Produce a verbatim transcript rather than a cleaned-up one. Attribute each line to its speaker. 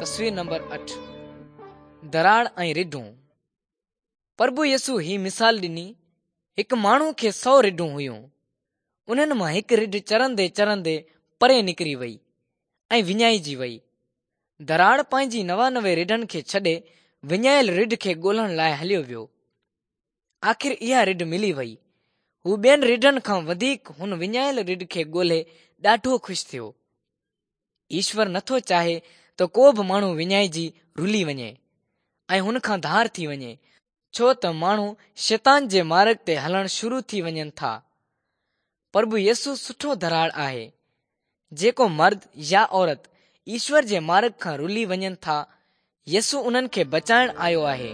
Speaker 1: تصوير نمبر اٺ، ڌراڙ ۽ رڍون. پرڀو يسوع هي مثال ڏني، هڪ ماڻهو کي سؤ رڍون هيون. انهن مان هڪ رڍ چرندي چرندي پري نڪري وئي ۽ وڃائجي وئي. ڌراڙ پنهنجي نوانوي رڍن کي ڇڏي وڃايل رڍ کي ڳولڻ لاءِ هليو ويو. آخر اها رڍ ملي وئي. هو ٻين رڍن کان وڌيڪ هن وڃايل رڍ کي ڳولي ڏاڍو خوش ٿيو. ايشور نٿو چاهي ته ڪو به ماڻهو وڃائجي رلي وڃي ۽ هن کان ڌار ٿي وڃي، ڇو ته ماڻهو شيطان جي مارگ تي هلڻ شروع ٿي وڃن ٿا. پرڀو يسوع سٺو ڌراڙ آهي. جيڪو مرد يا عورت ايشور جي مارگ کان رلي وڃن ٿا، يسوع انهن کي بچائڻ آيو آهي.